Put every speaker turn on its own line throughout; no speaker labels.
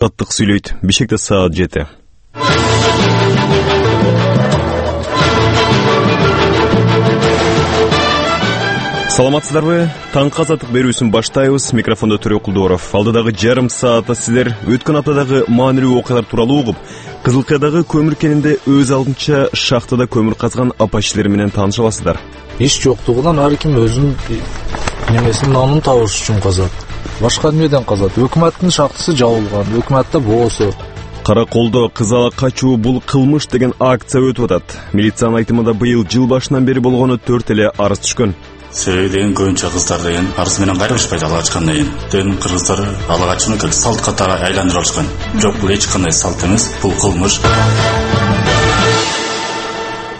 Таттык сүйлөйт. Бишкекте саат 7. Саламатсыздарбы? Таңкы азаттык берүүсүн баштайбыз. Микрофондо Төрө Кулдууров. Алдыдагы жарым саатта сиздер өткөн аптадагы маанилүү окуялар тууралуу угуп, Кызыл Кыядагы көмүр кенинде өз алдынча шахтада көмүр казган апа-ишчилер менен тааныша аласыздар.
Иш жоктугунан ар ким өзүнүн немесин нанын табыш үчүн казат. Башка эмнеден казат? Өкмөттүн шахтасы жабылган, өкмөттө боосу.
Караколдо кызала качуу бул кылмыш деген акция өтүп атат. Милициянын айтымында быйыл жыл башынан бери болгону 4 эле арыз түшкөн.
Себеби деген көбүнчө кыздар деген арыз менен кайрылышпайт ала качкандан кийин. Ден кыргыздар ала качууну как салт катары айландырып алышкан. Жок, бул эч кандай салт эмес, бул кылмыш.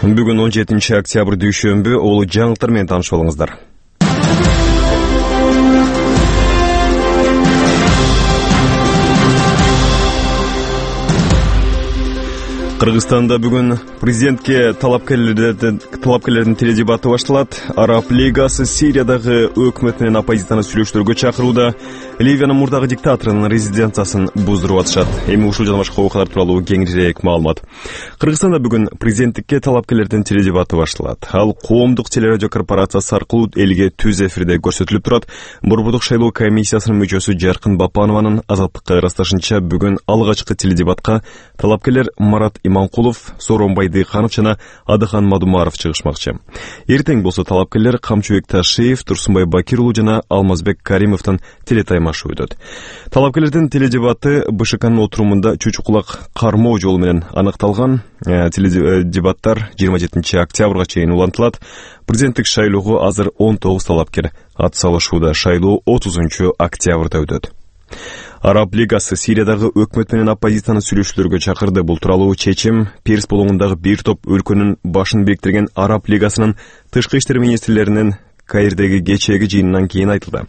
Бүгүн 17 октябрь дүйшөмбү, улуу жаңылыктар менен таанышып алыңыздар. Кыргызстанда бүгүн президентке талапкерлердин теледебаты башталат. Араб лигасы Сириядагы өкмөт менен оппозицияны сүйлөшүүлөргө чакырууда. Ливиянын мурдагы диктаторунун резиденциясын буздуруп атышат. Эми ушул жана башка окуялар тууралуу кеңирээк маалымат. Кыргызстанда бүгүн президенттикке талапкерлердин теледебаты башталат. Ал коомдук телерадио корпорациясы аркылуу элге түз эфирде көрсөтүлүп турат. Борбордук шайлоо комиссиясынын мүчөсү Жаркын Бапанованын Азаттыкка ырасташынча бүгүн алгачкы теледебатка талапкерлер Марат Иманкулов, Сооронбай Дыйканов жана Адыхан Мадумаров чыгышмакчы. Эртең болсо талапкерлер Камчыбек Ташиев, Турсунбай Бакир уулу жана Алмазбек Каримовдун телетаймашы өтөт. Талапкерлердин теледебаты БШКнын отурумунда чучукулак кармоо жолу менен анықталган. Теледебаттар 27 октябрга чейин улантылат. Президенттик шайлоого азыр 19 талапкер ат салышууда. Шайлоо 30 октябрда өтөт. Араб лигасы Сириядагы өкмөт менен оппозицияны сүйлөшүүлөргө чакырды. Бул тууралуу чечим Перс болгондагы бир топ өлкөнүн башын бириктирген Араб лигасынын тышкы иштер министрлеринин Каирдеги кечээги жыйынынан кийин айтылды.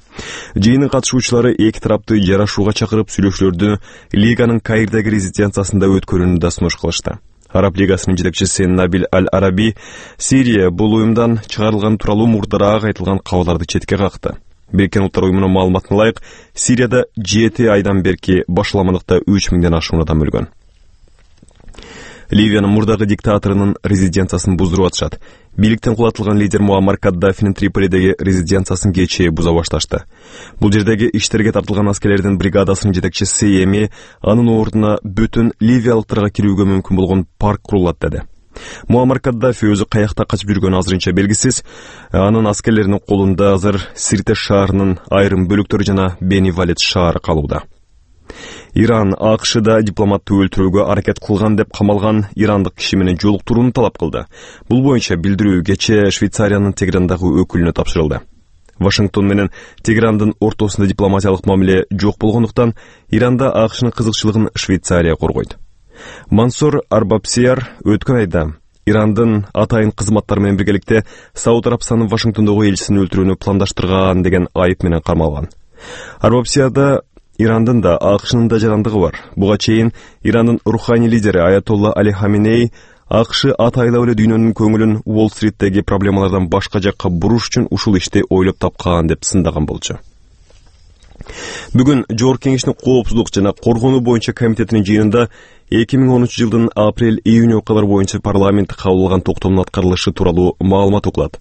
Жыйындын катышуучулары эки тарапты жарашууга чакырып сүйлөшүүлөрдү лиганын Каирдеги резиденциясында өткөрүүнү да сунуш кылышты. Араб лигасынын жетекчиси Набил Аль-Араби Сирия бул уюмдан чыгарылган тууралуу мурдараак айтылган кабарларды четке какты. Бириккен Улуттар уюмунун маалыматына ылайык, Сирияда 7 айдан берки башаламандыкта 3000ден ашуун адам өлгөн. Ливиянын мурдагы диктаторунун резиденциясын буздуруп атышат. Бийликтен кулатылган лидер Муаммар Каддафинин Триполидеги резиденциясын кечээ буза башташты. Бул жердеги иштерге тартылган аскерлердин бригадасынын жетекчиси эми анын ордуна бүтүн ливиялыктарга кирүүгө мүмкүн болгон парк курулат деди. Муаммар Каддафи өзү каякта качып жүргөнү азырынча белгисиз. Анын аскерлеринин колунда азыр Сирте шаарынын айрым бөлүктөрү жана Бени Валет шаары калууда. Иран АКШда дипломатты өлтүрүүгө аракет кылган деп камалган ирандык киши менен жолуктурууну талап кылды. Бул боюнча билдирүү кечээ Швейцариянын Тегерандагы өкүлүнө тапшырылды. Вашингтон менен Тегерандын ортосунда дипломатиялык мамиле жок болгондуктан Иранда АКШнын кызыкчылыгын Швейцария коргойт. Мансур Арбабсияр өткөн айда Ирандын атайын кызматтары менен биргеликте Сауд Арабистанынын Вашингтондогу элчисин өлтүрүүнү пландаштырган деген айып менен кармалган. Арбабсиярда Ирандын да АКШнын да жарандыгы бар. Буга чейин Ирандын руханий лидери Аятолла Али Хаминей АКШ атайлап эле дүйнөнүн көңүлүн Уолл-Стриттеги проблемалардан башка жакка буруш үчүн ушул ишти ойлоп тапкан деп сындаган болчу. Бүгүн Жогорку Кеңештин коопсуздук жана коргонуу боюнча комитетинин жыйынында 2013 жылдын апрель-июнь окуялары боюнча парламент кабыл алган токтомдун аткарылышы тууралуу маалымат окулат.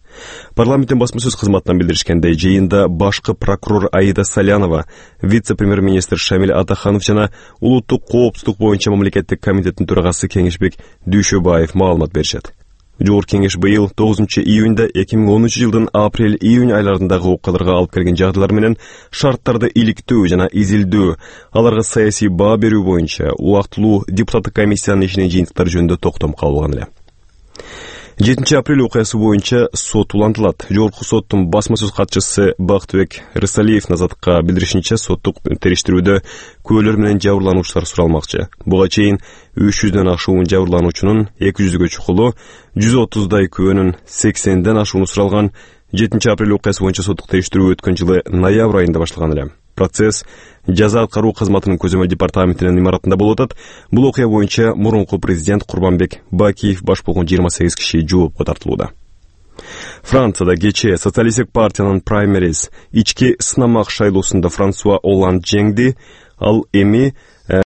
Парламенттин басма сөз кызматынан билдиришкендей, жыйында башкы прокурор Аида Салянова, вице-премьер-министр Шамил Атаханов жана улуттук коопсуздук боюнча мамлекеттик комитеттин төрагасы Кеңешбек Дүйшөбаев маалымат беришет. Жогорку Кеңеш быйыл 9 июнда 2013 жылдын апрель-июнь айларындагы окуяларга алып келген жагдайлар менен шарттарды иликтөө жана изилдөө, аларга саясий баа берүү боюнча убактылуу депутаттык комиссиянын ишинин жыйынтыктары жөнүндө токтом кабыл алган эле. 7 апрель окуясы боюнча сот улантылат. Жогорку соттун басма сөз катчысы Бактыбек Рысалиевдин Азаттыкка билдиришинче, соттук териштирүүдө күбөлөр менен жабырлануучулар суралмакчы. Буга чейин 300дөн ашуун жабырлануучунун 200гө чукулу, 130дай күбөнүн 80ден ашууну суралган. 7 апрель окуясы боюнча соттук териштирүү өткөн жылы ноябрь айында башталган эле. Процесс жаза аткаруу кызматынын көзөмөл департаментинин имаратында болуп атат. Бул окуя боюнча мурунку президент Курбанбек Бакиев баш болгон 28 киши жоопко тартылууда. Францияда кечээ социалисттик партиянын праймериз ички сынамак шайлоосунда Франсуа Олланд жеңди. Ал эми